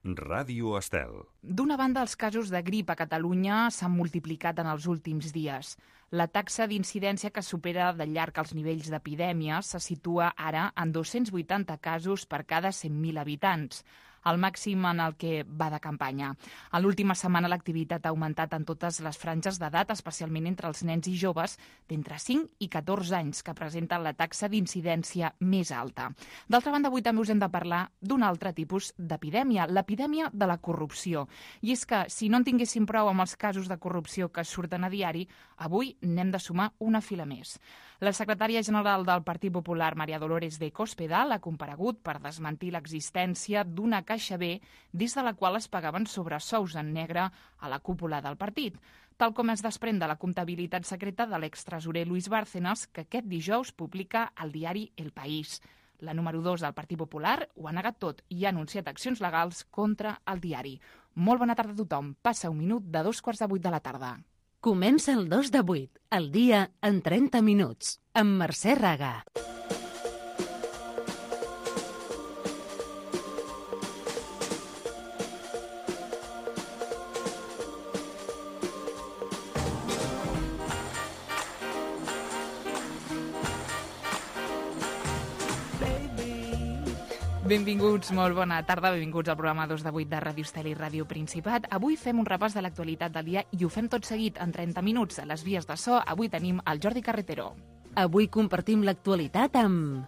Ràdio Estel. D'una banda, els casos de grip a Catalunya s'han multiplicat en els últims dies. La taxa d'incidència que supera de llarg els nivells d'epidèmia se situa ara en 280 casos per cada 100.000 habitants, el màxim en el que va de campanya. A l'última setmana l'activitat ha augmentat en totes les franges d'edat, especialment entre els nens i joves d'entre 5 i 14 anys, que presenten la taxa d'incidència més alta. D'altra banda, avui també us hem de parlar d'un altre tipus d'epidèmia, l'epidèmia de la corrupció. I és que, si no en tinguéssim prou amb els casos de corrupció que surten a diari, avui n'hem de sumar una fila més. La secretària general del Partit Popular, María Dolores de Cospedal, ha comparegut per desmentir l'existència d'una caixa B des de la qual es pagaven sobresous en negre a la cúpula del partit, tal com es desprèn de la comptabilitat secreta de l'extresorer Luis Bárcenas, que aquest dijous publica al diari El País. La número 2 del Partit Popular ho ha negat tot i ha anunciat accions legals contra el diari. Molt bona tarda a tothom. Passa un minut de 7:45 de la tarda. Comença el 2 de 8, el dia en 30 minuts, amb Mercè Raga. Benvinguts, molt bona tarda, benvinguts al programa 2 de 8 de Ràdio Estel i Ràdio Principat. Avui fem un repàs de l'actualitat del dia i ho fem tot seguit en 30 minuts. A les vies de so, avui tenim el Jordi Carretero. Avui compartim l'actualitat amb...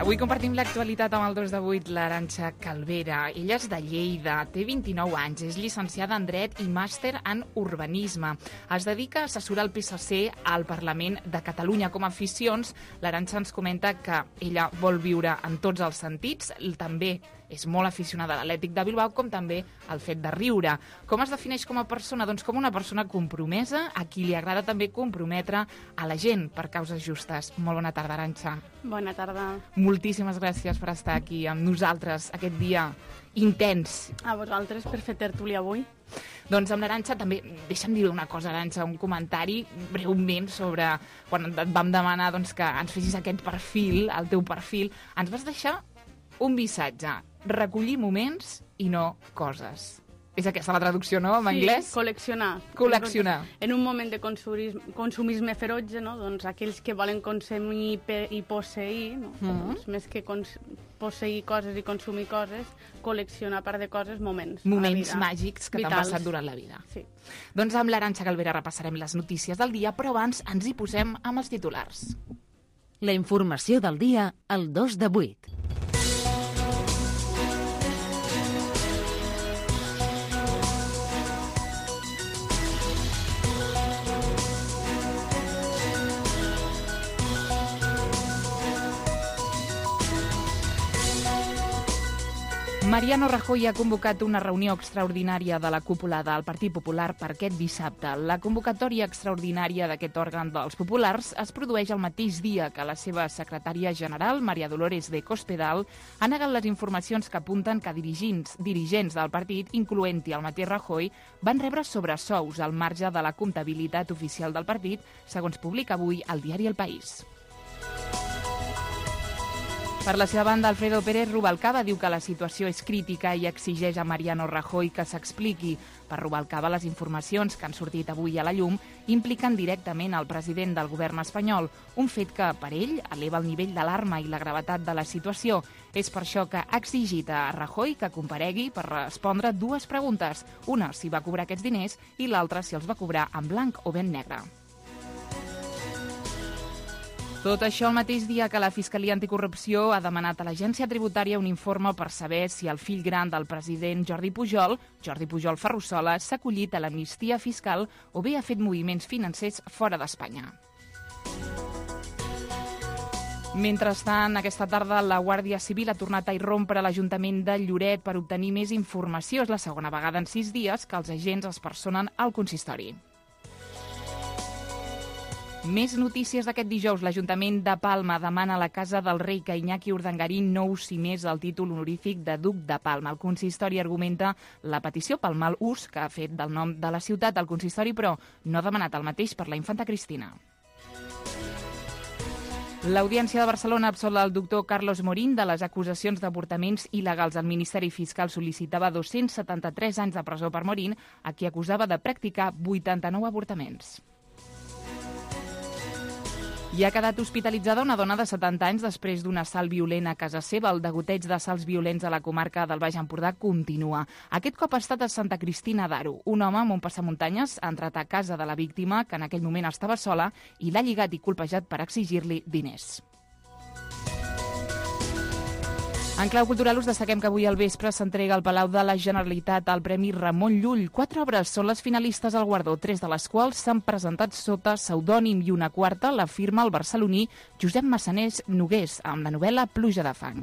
Avui compartim l'actualitat amb el 2 de 8, l'Arantxa Calvera. Ella és de Lleida, té 29 anys, és llicenciada en Dret i màster en Urbanisme. Es dedica a assessorar el PSC al Parlament de Catalunya. Com a aficions, l'Arantxa ens comenta que ella vol viure en tots els sentits, també és molt aficionada a l'Atlètic de Bilbao, com també al fet de riure. Com es defineix com a persona? Doncs com una persona compromesa, a qui li agrada també comprometre a la gent per causes justes. Molt bona tarda, Arantxa. Bona tarda. Moltíssimes gràcies per estar aquí amb nosaltres aquest dia intens. A vosaltres per fer tertúlia avui. Doncs amb l'Arantxa també, deixa'm dir una cosa, Arantxa, un comentari breument sobre quan et vam demanar doncs, que ens fessis aquest perfil, el teu perfil, ens vas deixar un missatge, recollir moments i no coses. És aquesta la traducció, no, en anglès? Sí, col·leccionar. Col·leccionar. En un moment de consumisme ferotge, no? Doncs aquells que volen consumir i posseir, no? Doncs més que posseir coses i consumir coses, col·leccionar part de coses, moments. Moments màgics que t'han passat durant la vida. Sí. Doncs amb l'Arantxa Calvera repassarem les notícies del dia, però abans ens hi posem amb els titulars. La informació del dia al 2 de 8. Mariano Rajoy ha convocat una reunió extraordinària de la cúpula del Partit Popular per aquest dissabte. La convocatòria extraordinària d'aquest òrgan dels populars es produeix el mateix dia que la seva secretària general, María Dolores de Cospedal, ha negat les informacions que apunten que dirigents del partit, incloent-hi el mateix Rajoy, van rebre sobresous al marge de la comptabilitat oficial del partit, segons publica avui el diari El País. Per la seva banda, Alfredo Pérez Rubalcaba diu que la situació és crítica i exigeix a Mariano Rajoy que s'expliqui. Per Rubalcaba, les informacions que han sortit avui a la llum impliquen directament el president del govern espanyol, un fet que, per ell, eleva el nivell d'alarma i la gravetat de la situació. És per això que ha exigit a Rajoy que comparegui per respondre dues preguntes. Una, si va cobrar aquests diners, i l'altra, si els va cobrar en blanc o ben negre. Tot això el mateix dia que la Fiscalia Anticorrupció ha demanat a l'Agència Tributària un informe per saber si el fill gran del president Jordi Pujol Ferrusola, s'ha acollit a l'amnistia fiscal o bé ha fet moviments financers fora d'Espanya. Mentrestant, aquesta tarda la Guàrdia Civil ha tornat a irrompre a l'Ajuntament de Lloret per obtenir més informació. És la segona vegada en 6 dies que els agents es personen al consistori. Més notícies d'aquest dijous. L'Ajuntament de Palma demana a la Casa del Rei que Iñaki Urdangarín no usi més el títol honorífic de Duc de Palma. El consistori argumenta la petició pel mal ús que ha fet del nom de la ciutat. El consistori, però, no ha demanat el mateix per la infanta Cristina. L'Audiència de Barcelona absolt el doctor Carlos Morín de les acusacions d'avortaments il·legals. El Ministeri Fiscal sol·licitava 273 anys de presó per Morín, a qui acusava de practicar 89 avortaments. I ha quedat hospitalitzada una dona de 70 anys després d'un assalt violent a casa seva. El degoteig d'assalts violents a la comarca del Baix Empordà continua. Aquest cop ha estat a Santa Cristina d'Aro. Un home amb un passamuntanyes ha entrat a casa de la víctima, que en aquell moment estava sola, i l'ha lligat i colpejat per exigir-li diners. En clau cultural us destaquem que avui al vespre s'entrega al Palau de la Generalitat el Premi Ramon Llull. 4 obres són les finalistes al guardó, 3 de les quals s'han presentat sota pseudònim i una quarta la firma el barceloní Josep Massanés Nogués amb la novel·la Pluja de fang.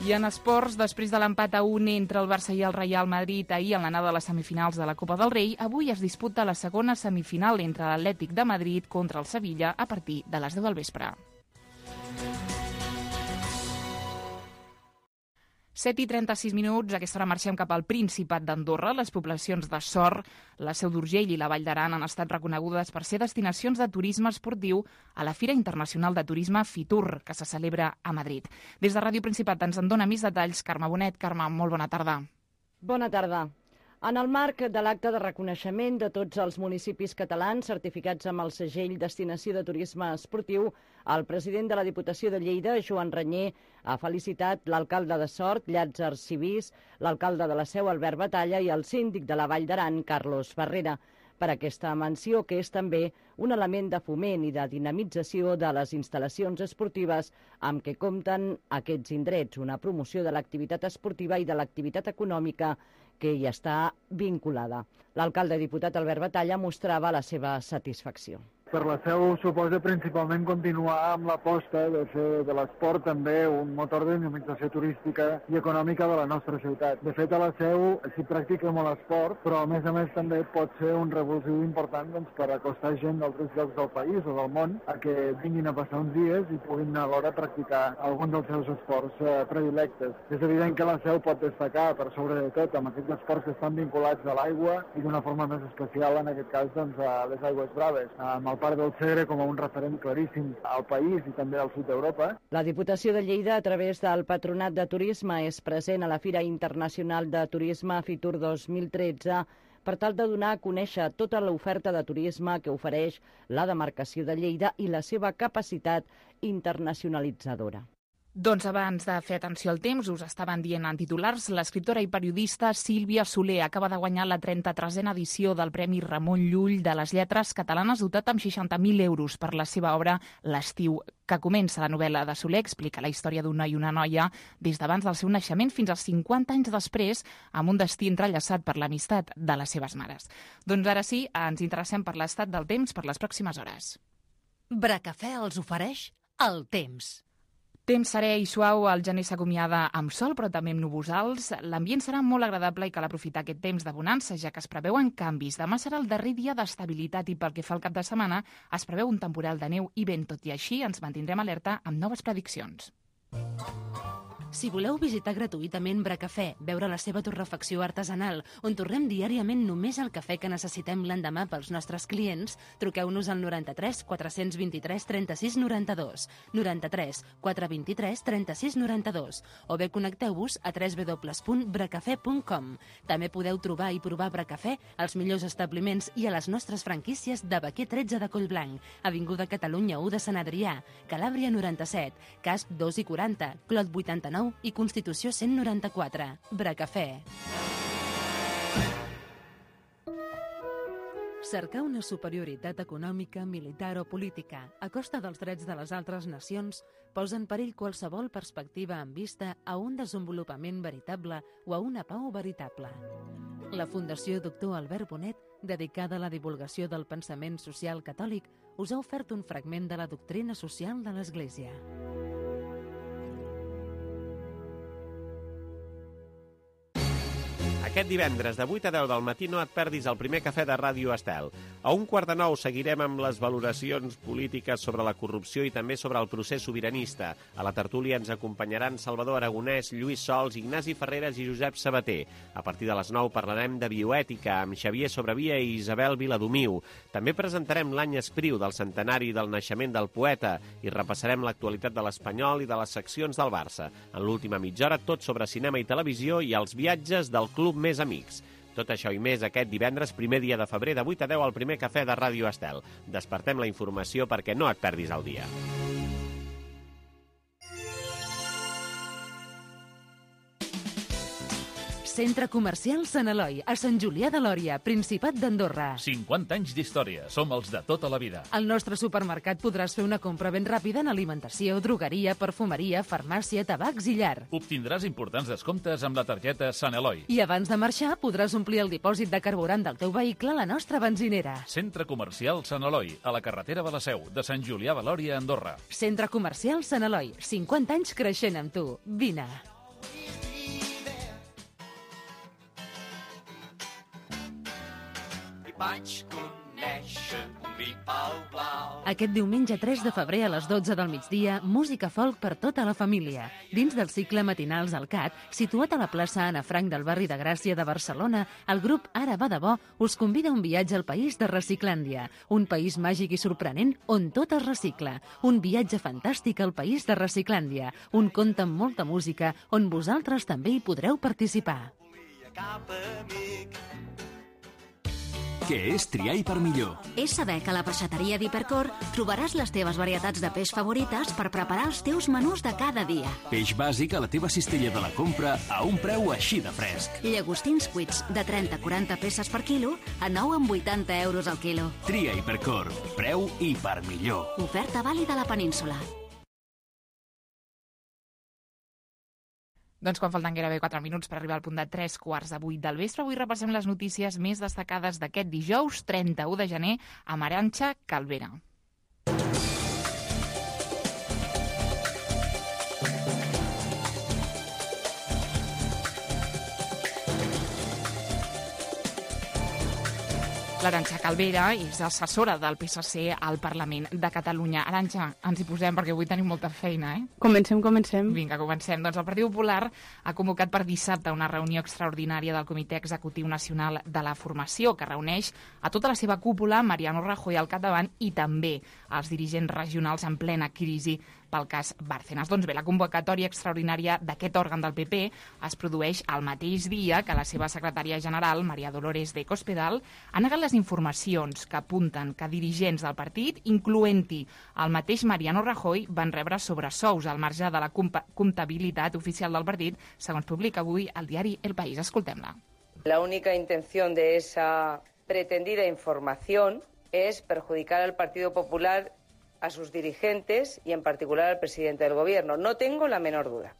I en esports, després de l'empat a 1 entre el Barça i el Real Madrid ahir en l'anada de les semifinals de la Copa del Rei, avui es disputa la segona semifinal entre l'Atlètic de Madrid contra el Sevilla a partir de les 10 del vespre. 7:36, aquesta hora marxem cap al Principat d'Andorra. Les poblacions de Sort, la Seu d'Urgell i la Vall d'Aran han estat reconegudes per ser destinacions de turisme esportiu a la Fira Internacional de Turisme Fitur, que se celebra a Madrid. Des de Ràdio Principat ens en dona més detalls Carme Bonet. Carme, molt bona tarda. Bona tarda. En el marc de l'acte de reconeixement de tots els municipis catalans certificats amb el segell Destinació de Turisme Esportiu, el president de la Diputació de Lleida, Joan Ranyer, ha felicitat l'alcalde de Sort, Llàtzer Civís, l'alcalde de la Seu, Albert Batalla, i el síndic de la Vall d'Aran, Carlos Ferrera, per aquesta menció, que és també un element de foment i de dinamització de les instal·lacions esportives amb què compten aquests indrets, una promoció de l'activitat esportiva i de l'activitat econòmica que hi està vinculada. L'alcalde diputat Albert Batalla mostrava la seva satisfacció. Per la Seu suposa principalment continuar amb l'aposta de fer de l'esport també un motor de dinamització turística i econòmica de la nostra ciutat. De fet, a la Seu s'hi practica molt esport, però a més també pot ser un revulsiu important per acostar gent d'altres llocs del país o del món a que vinguin a passar uns dies i puguin alhora practicar algun dels seus esports predilectes. És evident que la Seu pot destacar, per sobre de tot, amb aquests esports que estan vinculats a l'aigua i d'una forma més especial, en aquest cas, a les aigües braves, amb el Parc del Segre com a un referent claríssim al país i també al sud d'Europa. La Diputació de Lleida, a través del Patronat de Turisme, és present a la Fira Internacional de Turisme Fitur 2013 per tal de donar a conèixer tota l'oferta de turisme que ofereix la demarcació de Lleida i la seva capacitat internacionalitzadora. Doncs abans de fer atenció al temps, us estaven dient en titulars, l'escriptora i periodista Sílvia Soler acaba de guanyar la 33a edició del Premi Ramon Llull de les Lletres Catalanes, dotat amb 60.000 euros per la seva obra L'estiu que comença. La novel·la de Soler explica la història d'un noi i una noia des d'abans del seu naixement fins als 50 anys després, amb un destí entrellaçat per l'amistat de les seves mares. Doncs ara sí, ens interessem per l'estat del temps per les pròximes hores. Bracafè els ofereix el temps. Temps serè i suau, el gener s'acomiada amb sol, però també amb núvols. L'ambient serà molt agradable i cal aprofitar aquest temps de bonança, ja que es preveuen canvis. Demà serà el darrer dia d'estabilitat i pel que fa al cap de setmana es preveu un temporal de neu i vent. Tot i així, ens mantindrem alerta amb noves prediccions. Si voleu visitar gratuïtament Bracafè, veure la seva torrefacció artesanal, on torrem diàriament només el cafè que necessitem l'endemà pels nostres clients, truqueu-nos al 93 423 36 92, 93 423 36 92, o bé connecteu-vos a www.bracafè.com. També podeu trobar i provar Bracafè als millors establiments i a les nostres franquícies de Baquer 13 de Collblanc, Avinguda Catalunya 1 de Sant Adrià, Calàbria 97, Casp 2 i 40, Clot 89 i Constitució 194. Bracafè. Cercar una superioritat econòmica, militar o política a costa dels drets de les altres nacions posa en perill qualsevol perspectiva en vista a un desenvolupament veritable o a una pau veritable. La Fundació Doctor Albert Bonet, dedicada a la divulgació del pensament social catòlic, us ha ofert un fragment de la doctrina social de l'Església. Aquest divendres de 8 a 10 del matí no et perdis el primer cafè de Ràdio Estel. A 1:15 seguirem amb les valoracions polítiques sobre la corrupció i també sobre el procés sobiranista. A la tertúlia ens acompanyaran Salvador Aragonès, Lluís Sols, Ignasi Ferreres i Josep Sabater. A partir de les 9 parlarem de bioètica amb Xavier Sobrevia i Isabel Viladomiu. També presentarem l'any Espriu del centenari del naixement del poeta i repassarem l'actualitat de l'Espanyol i de les seccions del Barça. En l'última mitja hora, tot sobre cinema i televisió i els viatges del Club Més Amics. Tot això i més aquest divendres, primer dia de febrer, de 8 a 10 al primer cafè de Ràdio Estel. Despertem la informació perquè no et perdis el dia. Centre Comercial Sant Eloi, a Sant Julià de Lòria, Principat d'Andorra. 50 anys d'història. Som els de tota la vida. Al nostre supermercat podràs fer una compra ben ràpida en alimentació, drogueria, perfumeria, farmàcia, tabacs i llar. Obtindràs importants descomptes amb la targeta Sant Eloi. I abans de marxar podràs omplir el dipòsit de carburant del teu vehicle a la nostra benzinera. Centre Comercial Sant Eloi, a la carretera de la Seu, de Sant Julià de Lòria, Andorra. Centre Comercial Sant Eloi, 50 anys creixent amb tu. Vine. Vaig conèixer un vi blau. Aquest diumenge 3 de febrer a les 12 del migdia, música folk per tota la família. Dins del cicle Matinals al CAT, situat a la plaça Anna Frank del barri de Gràcia de Barcelona, el grup Ara va de bo us convida a un viatge al país de Reciclàndia, un país màgic i sorprenent on tot es recicla. Un viatge fantàstic al país de Reciclàndia, un conte amb molta música on vosaltres també hi podreu participar. Què és triar i per millor? És saber que a la peixateria d'Hipercor trobaràs les teves varietats de peix favorites per preparar els teus menús de cada dia. Peix bàsic a la teva cistella de la compra a un preu així de fresc. Llagostins cuits de 30-40 peces per quilo a 9,80 euros al quilo. Tria Hipercor. Preu i per millor. Oferta vàlida a la península. Doncs quan falten gairebé 4 minuts per arribar al punt de 7:45 del vespre, avui repassem les notícies més destacades d'aquest dijous, 31 de gener, amb Arantxa Calvera. L'Arantxa Calvera és assessora del PSC al Parlament de Catalunya. Arantxa, ens hi posem perquè avui tenim molta feina, eh? Comencem. Vinga, comencem. Doncs el Partit Popular ha convocat per dissabte una reunió extraordinària del Comitè Executiu Nacional de la Formació, que reuneix a tota la seva cúpula, Mariano Rajoy al capdavant, i també als dirigents regionals en plena crisi pel cas Bárcenas. Doncs bé, la convocatòria extraordinària d'aquest òrgan del PP es produeix el mateix dia que la seva secretària general, María Dolores de Cospedal, ha negat les informacions que apunten que dirigents del partit, incloent-hi el mateix Mariano Rajoy, van rebre sobresous al marge de la comptabilitat oficial del partit, segons publica avui el diari El País. Escoltem-la. La única intención de esa pretendida información es perjudicar al Partido Popular, a sus dirigentes y en particular al presidente del Gobierno. No tengo la menor duda.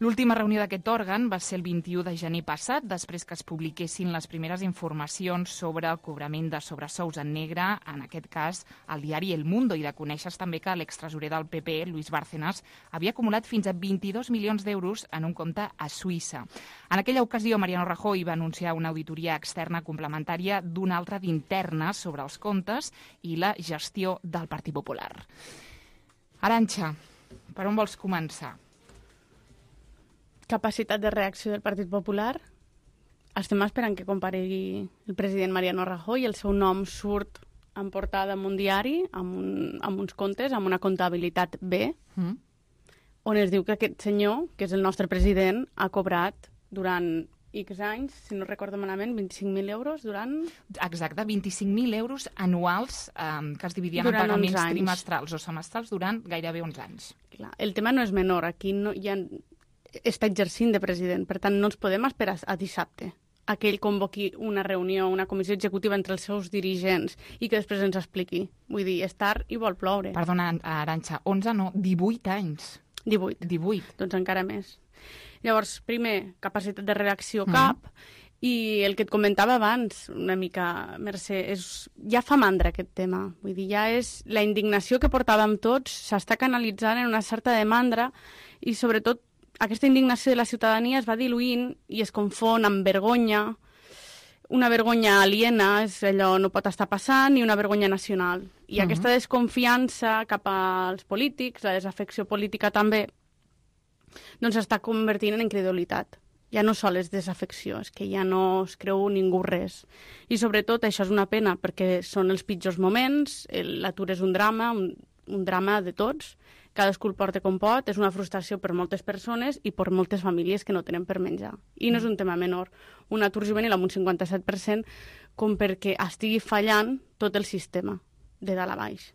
L'última reunió d'aquest òrgan va ser el 21 de gener passat, després que es publiquessin les primeres informacions sobre el cobrament de sobresous en negre, en aquest cas al diari El Mundo, i de conèixer també que l'extresorer del PP, Luis Bárcenas, havia acumulat fins a 22 milions d'euros en un compte a Suïssa. En aquella ocasió, Mariano Rajoy va anunciar una auditoria externa complementària d'una altra d'interna sobre els comptes i la gestió del Partit Popular. Arantxa, per on vols començar? Capacitat de reacció del Partit Popular. Estem esperant que comparegui el president Mariano Rajoy. El seu nom surt en portada en un diari, amb uns comptes, amb una comptabilitat B, on es diu que aquest senyor, que és el nostre president, ha cobrat durant X anys, si no recordo malament, 25.000 euros durant... Exacte, 25.000 euros anuals que es dividien en pagaments trimestrals o semestrals durant gairebé 11 anys. Clar, el tema no és menor. Aquí no hi ha... està exercint de president, per tant no ens podem esperar a dissabte a que ell convoqui una reunió, una comissió executiva entre els seus dirigents i que després ens expliqui. Vull dir, és tard i vol ploure. Perdona, Arantxa, 11 no, 18 anys. 18. Doncs encara més. Llavors, primer, capacitat de reacció cap, i el que et comentava abans, una mica, Mercè, ja fa mandra aquest tema. Vull dir, ja és la indignació que portàvem tots, s'està canalitzant en una certa de mandra i sobretot aquesta indignació de la ciutadania es va diluint i es confon amb vergonya. Una vergonya aliena, és allò no pot estar passant, i una vergonya nacional. I aquesta desconfiança cap als polítics, la desafecció política també, doncs s'està convertint en incredulitat. Ja no sol és desafecció, és que ja no es creu ningú res. I sobretot això és una pena, perquè són els pitjors moments, l'atur és un drama de tots, cadascú el porta com pot, és una frustració per moltes persones i per moltes famílies que no tenen per menjar. I no és un tema menor. Un atur juvenil amb un 57% com perquè estigui fallant tot el sistema, de dalt a baix.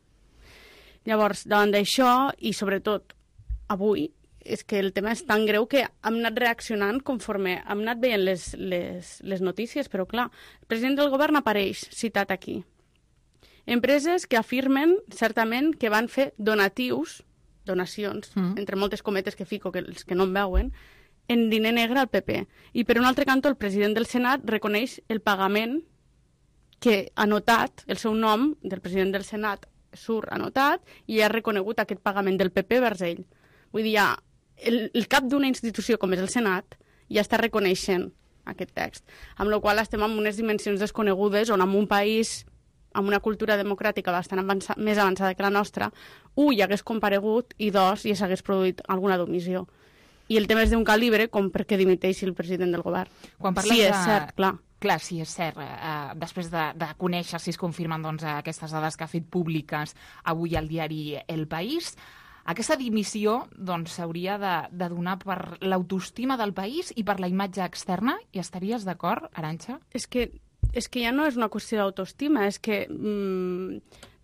Llavors, davant d'això, i sobretot avui, és que el tema és tan greu que hem anat reaccionant conforme hem anat veient les notícies, però clar, el president del govern apareix citat aquí. Empreses que afirmen certament que van fer donacions, entre moltes cometes que fico, que els que no em veuen, en diner negre al PP. I per un altre cantó, el president del Senat reconeix el pagament que ha notat, el seu nom del president del Senat surt anotat i ha reconegut aquest pagament del PP vers ell. Vull dir, ja, el cap d'una institució com és el Senat ja està reconeixent aquest text, amb la qual estem en unes dimensions desconegudes on en un país amb una cultura democràtica bastant més avançada que la nostra, hi hagués comparegut i ja s'hagués produït alguna domissió. I el tema és d'un calibre com perquè dimiteixi el president del govern. Quan parles sí, és cert, clar. Clar, sí, és cert. Després de conèixer si es confirmen aquestes dades que ha fet públiques avui al diari El País, aquesta dimissió s'hauria de donar per l'autoestima del país i per la imatge externa. Hi estaries d'acord, Arantxa? És que ja no és una qüestió d'autoestima, és que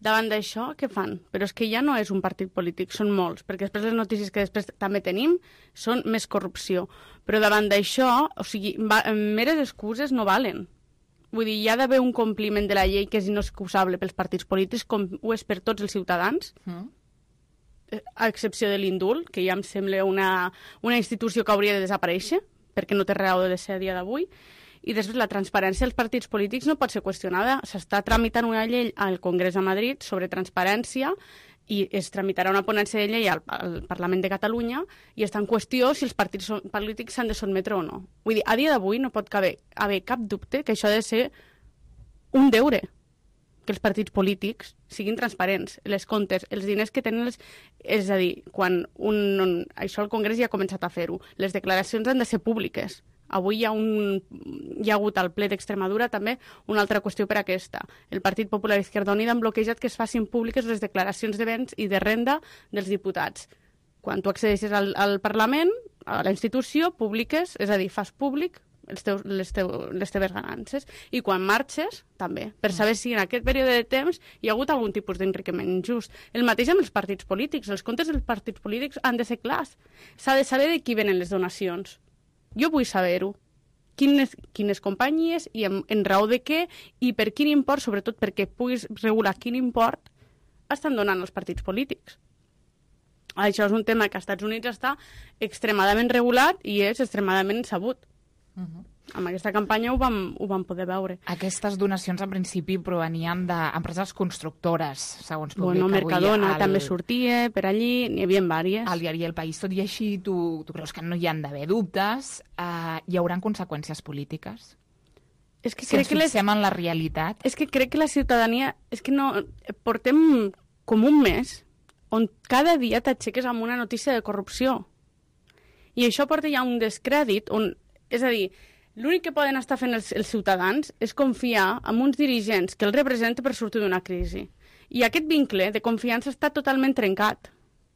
davant d'això, què fan? Però és que ja no és un partit polític, són molts, perquè després les notícies que després també tenim són més corrupció. Però davant d'això, o sigui, meres excuses no valen. Vull dir, hi ha d'haver un compliment de la llei que és inexcusable pels partits polítics, com ho és per tots els ciutadans, a excepció de l'indult, que ja em sembla una institució que hauria de desaparèixer, perquè no té raó de ser a dia d'avui. I després la transparència dels partits polítics no pot ser qüestionada. S'està tramitant una llei al Congrés de Madrid sobre transparència i es tramitarà una ponència de llei al Parlament de Catalunya i està en qüestió si els partits polítics s'han de sotmetre o no. Vull dir, a dia d'avui no pot haver cap dubte que això ha de ser un deure, que els partits polítics siguin transparents, les comptes, els diners que tenen, és a dir, quan això el Congrés ja ha començat a fer-ho, les declaracions han de ser públiques. Avui hi ha hagut al ple d'Extremadura també una altra qüestió per aquesta. El Partit Popular Izquierda Unida han bloquejat que es facin públiques les declaracions de béns i de renda dels diputats. Quan tu accedeixes al Parlament, a la institució, publiques, és a dir, fas públic les teves ganances. I quan marxes, també, per saber si en aquest període de temps hi ha hagut algun tipus d'enriquiment injust. El mateix amb els partits polítics. Els comptes dels partits polítics han de ser clars. S'ha de saber de qui venen les donacions. Jo vull saber-ho. Quines companyies i en raó de què i per quin import, sobretot perquè puguis regular quin import estan donant els partits polítics. Això és un tema que als Estats Units està extremadament regulat i és extremadament sabut. Amb aquesta campanya ho vam poder veure. Aquestes donacions, en principi, provenien d'empreses constructores, segons publica avui. Mercadona també sortia per allí, n'hi havia diverses. Al diari El País, tot i així, tu creus que no hi han d'haver dubtes? Hi haurà conseqüències polítiques? És que si ens fixem en la realitat? És que crec que la ciutadania... És que no... Portem com un mes on cada dia t'aixeques amb una notícia de corrupció. I això porta ja un descrèdit on... És a dir, l'únic que poden estar fent els ciutadans és confiar en uns dirigents que els representen per sortir d'una crisi. I aquest vincle de confiança està totalment trencat.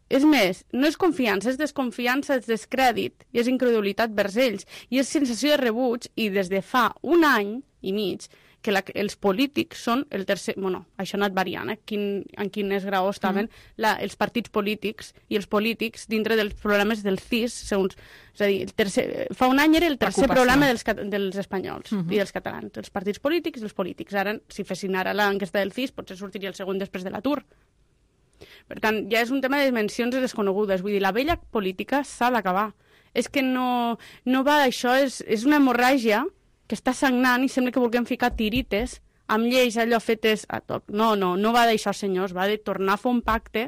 És més, no és confiança, és desconfiança, és descrèdit, i és incredulitat vers ells, i és sensació de rebuig, i des de fa un any i mig que els polítics són el tercer... Bueno, això ha anat variant, en quin grau estaven els partits polítics i els polítics dintre dels programes del CIS, segons... És a dir, fa un any era el tercer programa dels espanyols i dels catalans, els partits polítics i els polítics. Ara, si fessin ara l'enquesta del CIS, potser sortiria el segon després de l'atur. Per tant, ja és un tema de dimensions desconegudes. Vull dir, la vella política s'ha d'acabar. És que no va d'això, és una hemorràgia que està sagnant i sembla que vulguem ficar tirites amb lleis allò fetes a toc. No va d'això, senyors, va de tornar a fer un pacte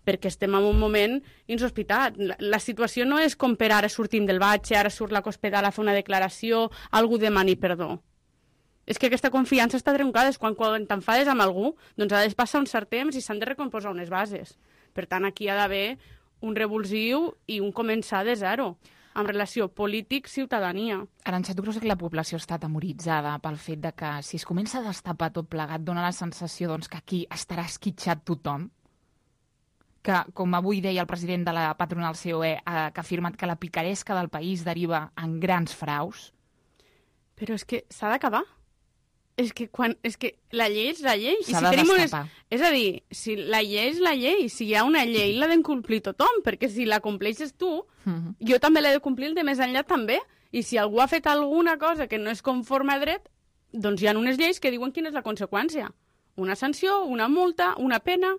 perquè estem en un moment insospitat. La situació no és com per ara sortim del batxe, ara surt la Cospedal a fer una declaració, algú demani perdó. És que aquesta confiança està trencada, és quan t'enfades amb algú, doncs ha de passar un cert temps i s'han de recomposar unes bases. Per tant, aquí ha d'haver un revulsiu i un començar de zero, en relació polític-ciutadania. Arantxa, tu creus que la població està atemoritzada pel fet de que si es comença a destapar tot plegat dona la sensació doncs, que aquí estarà esquitxat tothom? Que, com avui deia el president de la patronal COE, que ha afirmat que la picaresca del país deriva en grans fraus? Però és que s'ha d'acabar. És que la llei és la llei. S'ha de destapar. És a dir, si la llei és la llei, si hi ha una llei l'ha de complir tothom, perquè si la compleixes tu, jo també l'he de complir el de més enllà també. I si algú ha fet alguna cosa que no és conforme a dret, doncs hi ha unes lleis que diuen quina és la conseqüència. Una sanció, una multa, una pena.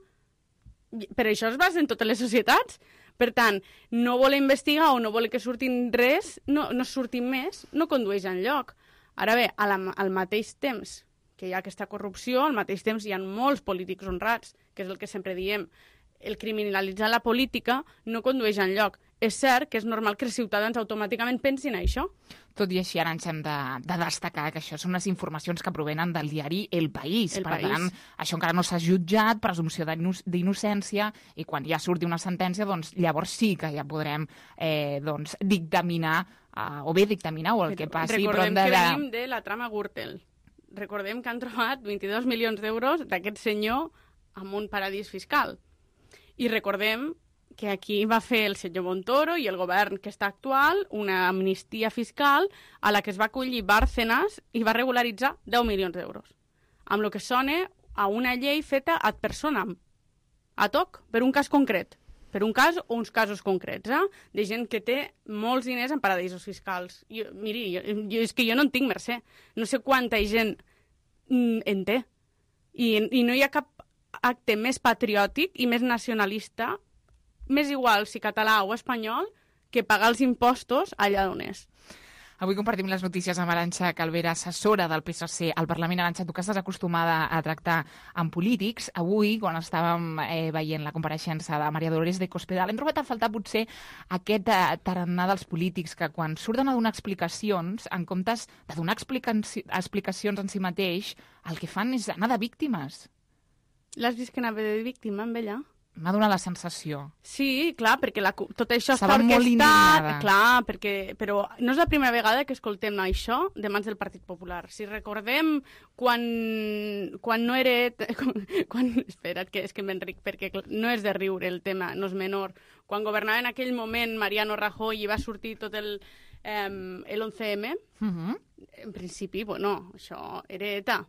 Per això es basa en totes les societats. Per tant, no voler investigar o no voler que surtin res, no surtin més, no condueix enlloc. Ara bé, al mateix temps que hi ha aquesta corrupció, al mateix temps hi ha molts polítics honrats, que és el que sempre diem. El criminalitzar la política no condueix enlloc. És cert que és normal que els ciutadans automàticament pensin això. Tot i així, ara ens hem de destacar que això són unes informacions que provenen del diari El País. Per tant, això encara no s'ha jutjat, presumpció d'innocència, i quan ja surti una sentència, doncs llavors sí que ja podrem dictaminar, o bé dictaminar, o el que passi. Recordem que venim de la trama Gürtel. Recordem que han trobat 22 milions d'euros d'aquest senyor en un paradís fiscal. I recordem que aquí va fer el senyor Montoro i el govern que està actual una amnistia fiscal a la que es va acollir Bárcenas i va regularitzar 10 milions d'euros. Amb el que sona a una llei feta ad personam, ad hoc, per un cas concret. Per un cas o uns casos concrets, de gent que té molts diners en paradisos fiscals. Miri, és que jo no en tinc, Mercè. No sé quanta gent en té. I no hi ha cap acte més patriòtic i més nacionalista, més igual si català o espanyol, que pagar els impostos allà on és. Avui compartim les notícies amb Arantxa Calvera, assessora del PSC al Parlament. Arantxa, tu que estàs acostumada a tractar amb polítics, avui, quan estàvem veient la compareixença de María Dolores de Cospedal, hem trobat a faltar potser aquest tarannà dels polítics que quan surten a donar explicacions, en comptes de donar explicacions en si mateix, el que fan és anar de víctimes. L'has vist que anava de víctima amb ella? M'ha donat la sensació. Sí, clar, perquè tot això està orquestat. Molt indignada. Clar, però no és la primera vegada que escoltem això de mans del Partit Popular. Si recordem quan no era... Espera't, que és que m'enric, perquè no és de riure el tema, no és menor. Quan governava en aquell moment Mariano Rajoy i va sortir tot el 11M, en principi, bueno, això era ETA.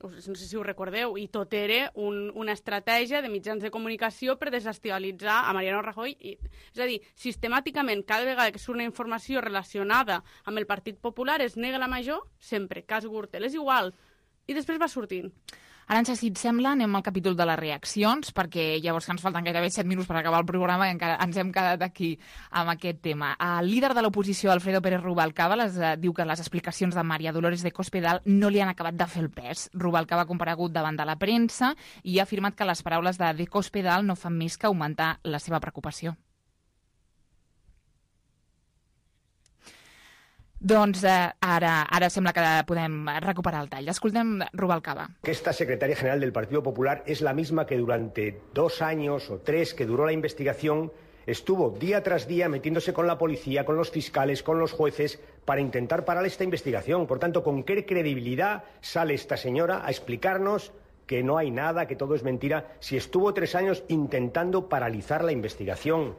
No sé si ho recordeu, i tot era una estratègia de mitjans de comunicació per desestabilitzar a Mariano Rajoy. És a dir, sistemàticament, cada vegada que surt una informació relacionada amb el Partit Popular es nega la major, sempre, cas Gürtel, és igual. I després va sortint. Arantxa, si et sembla, anem al capítol de les reaccions, perquè llavors que ens falten gairebé 7 minuts per acabar el programa i encara ens hem quedat aquí amb aquest tema. El líder de l'oposició, Alfredo Pérez Rubalcaba, diu que les explicacions de María Dolores de Cospedal no li han acabat de fer el pes. Rubalcaba ha comparegut davant de la premsa i ha afirmat que les paraules de Cospedal no fan més que augmentar la seva preocupació. Doncs ara sembla que podem recuperar el tall. Escoltem Rubalcaba. Esta secretaria general del Partido Popular es la misma que durante 2 años o 3 que duró la investigación estuvo día tras día metiéndose con la policía, con los fiscales, con los jueces para intentar parar esta investigación. Por tanto, ¿con qué credibilidad sale esta señora a explicarnos que no hay nada, que todo es mentira, si estuvo 3 años intentando paralizar la investigación?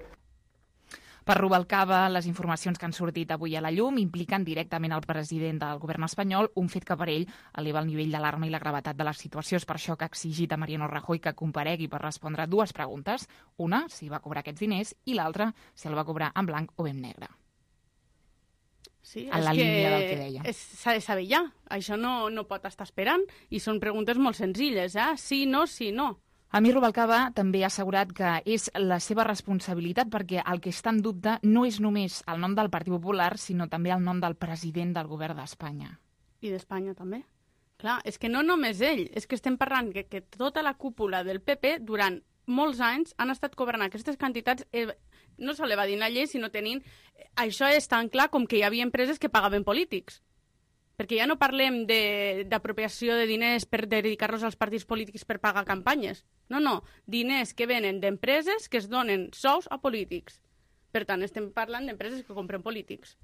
Per Rubalcaba, les informacions que han sortit avui a la llum impliquen directament el president del govern espanyol, un fet que per ell eleva el nivell d'alarma i la gravetat de la situació. És per això que ha exigit a Mariano Rajoy que comparegui per respondre 2 preguntes. Una, si va cobrar aquests diners, i l'altra, si el va cobrar en blanc o en negre. Sí, en la línia del que deia. S'ha de saber ja. Això no pot estar esperant. I són preguntes molt senzilles, sí, no, sí, no. A mi Rubalcaba també ha assegurat que és la seva responsabilitat perquè el que està en dubte no és només el nom del Partit Popular, sinó també el nom del president del govern d'Espanya. I d'Espanya també. Clar, és que no només ell, és que estem parlant que tota la cúpula del PP durant molts anys han estat cobrant aquestes quantitats, no sols evadint la llei, sinó tenint... Això és tan clar com que hi havia empreses que pagaven polítics. Perquè ja no parlem d'apropiació de diners per dedicar-los als partits polítics per pagar campanyes. No, diners que venen d'empreses que es donen sous a polítics. Per tant, estem parlant d'empreses que compren polítics.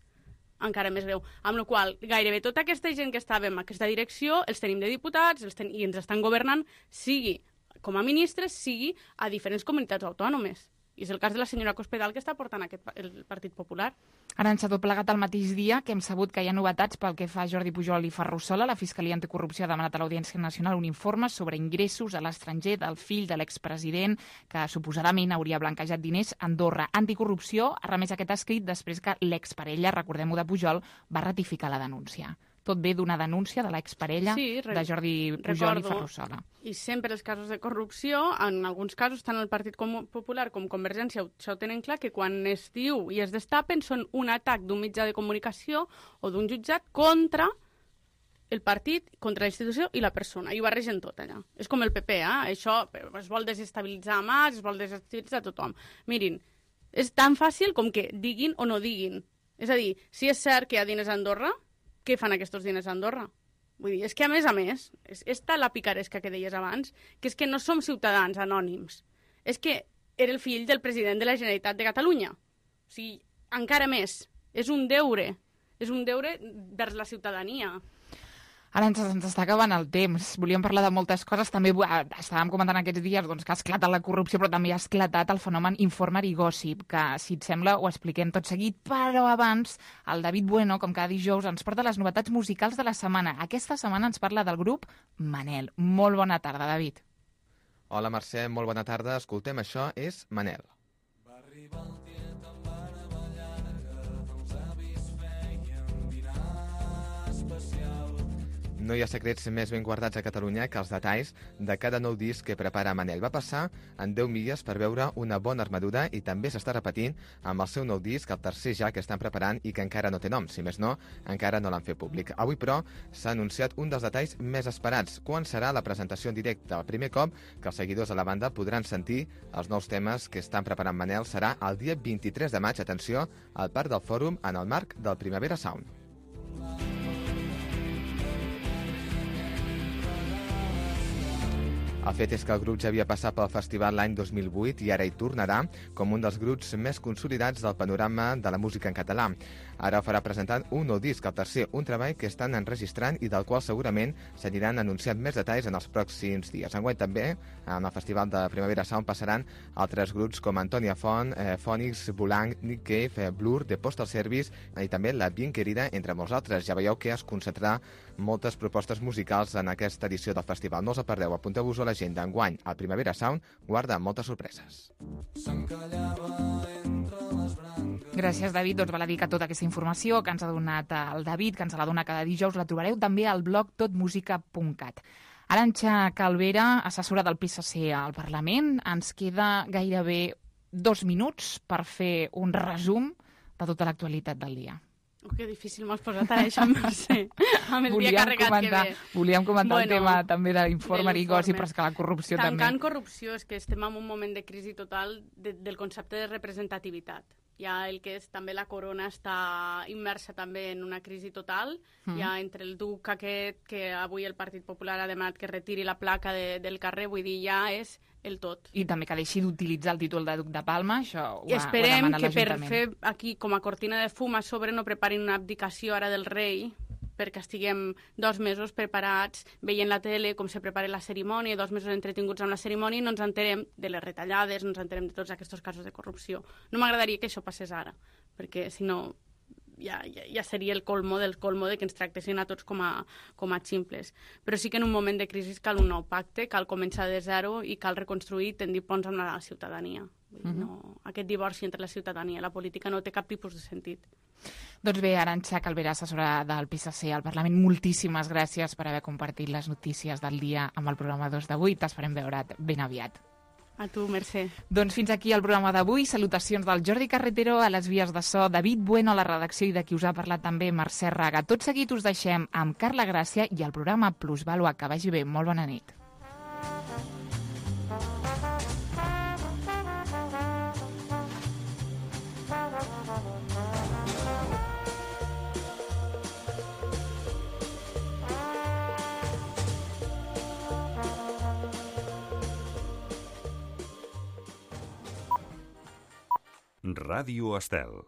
Encara més greu. Amb la qual cosa, gairebé tota aquesta gent que estava en aquesta direcció els tenim de diputats i ens estan governant, sigui com a ministres, sigui a diferents comunitats autònomes. I és el cas de la senyora Cospedal que està portant el Partit Popular. Arantxa, tot plegat al mateix dia que hem sabut que hi ha novetats pel que fa a Jordi Pujol i Ferrusola. La Fiscalia Anticorrupció ha demanat a l'Audiència Nacional un informe sobre ingressos a l'estranger del fill de l'expresident que suposadament hauria blanquejat diners a Andorra. Anticorrupció ha remès aquest escrit després que l'exparella, recordem-ho, de Pujol, va ratificar la denúncia. Tot ve d'una denúncia de l'exparella de Jordi Pujol i Ferrusola. I sempre els casos de corrupció, en alguns casos, tant el Partit Popular com Convergència ho tenen clar, que quan es diu i es destapen són un atac d'un mitjà de comunicació o d'un jutjat contra el partit, contra la institució i la persona. I ho barregen tot allà. És com el PP, això es vol desestabilitzar Mas, es vol desestabilitzar tothom. Mirin, és tan fàcil com que diguin o no diguin. És a dir, si és cert que hi ha diners a Andorra, què fan aquests diners a Andorra? Vull dir, és que a més, és tal la picaresca que deies abans, que és que no som ciutadans anònims. És que era el fill del president de la Generalitat de Catalunya. O sigui, encara més. És un deure vers la ciutadania. Ara ens està acabant el temps. Volíem parlar de moltes coses. També estàvem comentant aquests dies que ha esclatat la corrupció, però també ha esclatat el fenomen Informer i Gossip, que, si et sembla, ho expliquem tot seguit. Però abans, el David Bueno, com cada dijous, ens porta les novetats musicals de la setmana. Aquesta setmana ens parla del grup Manel. Molt bona tarda, David. Hola, Mercè, molt bona tarda. Escoltem, això és Manel. Va arribar el dia tan meravellada que els avis feien dinar especial. No hi ha secrets més ben guardats a Catalunya que els detalls de cada nou disc que prepara Manel. Va passar en 10 milles per veure una bona armadura i també s'està repetint amb el seu nou disc, el tercer ja que estan preparant i que encara no té nom. Si més no, encara no l'han fet públic. Avui, però, s'ha anunciat un dels detalls més esperats. Quan serà la presentació en directe? El primer cop que els seguidors de la banda podran sentir els nous temes que estan preparant Manel serà el dia 23 de maig, atenció, al Parc del Fòrum en el marc del Primavera Sound. El fet és que el grup ja havia passat pel festival l'any 2008 i ara hi tornarà com un dels grups més consolidats del panorama de la música en català. Ara ho farà presentant un nou disc, el tercer, un treball que estan enregistrant i del qual segurament s'aniran anunciant més detalls en els pròxims dies. Enguany també, en el festival de Primavera Sound passaran altres grups com Antònia Font, Phonics, Bulang, Nick Cave, Blur, The Postal Service i també La Bien Querida, entre molts altres. Ja veieu que es concentrarà moltes propostes musicals en aquesta edició del festival. No us el perdeu, apunteu-vos a l'agenda. Enguany, al Primavera Sound guarda moltes sorpreses. Gràcies, David. Doncs val a dir que tota aquesta informació que ens ha donat el David, que ens la dona cada dijous, la trobareu també al blog totmusica.cat. Arantxa Calvera, assessora del PSC al Parlament, ens queda gairebé 2 minuts per fer un resum de tota l'actualitat del dia. Que difícil m'has posat ara, això, Mercè, amb el dia carregat que ve. Volíem comentar el tema també de l'Informer i Gossip, però és que la corrupció també... Tancant corrupció, és que estem en un moment de crisi total del concepte de representativitat. Ja el que és també la corona està immersa també en una crisi total, ja entre el duc aquest, que avui el Partit Popular ha demanat que retiri la placa del carrer, vull dir, ja és el tot. I també que deixi d'utilitzar el títol de duc de Palma, això ho ha Esperem demanat que per l'Ajuntament. fer aquí com a cortina de fum a sobre no preparin una abdicació ara del rei, perquè estiguem 2 mesos preparats veient la tele com se prepara la cerimònia, 2 mesos entretinguts amb la cerimònia i no ens enterem de les retallades, no ens enterem de tots aquests casos de corrupció. No m'agradaria que això passés ara, perquè si no ja seria el colmo del colmo de que ens tractessin a tots com a ximples. Però sí que en un moment de crisi cal un nou pacte, cal començar de zero i cal reconstruir i tendir ponts amb la ciutadania. Aquest divorci entre la ciutadania i la política no té cap tipus de sentit. Doncs bé, Arantxa Calvera, assessora del PSC al Parlament, moltíssimes gràcies per haver compartit les notícies del dia amb el programa 2 d'avui. T'esperem veure't ben aviat. A tu, Mercè. Doncs fins aquí el programa d'avui. Salutacions del Jordi Carretero a les vies de so, David Bueno a la redacció i de qui us ha parlat també Mercè Raga. Tot seguit us deixem amb Carla Gràcia i el programa Plusvàlua. Que vagi bé. Molt bona nit. Ràdio Estel.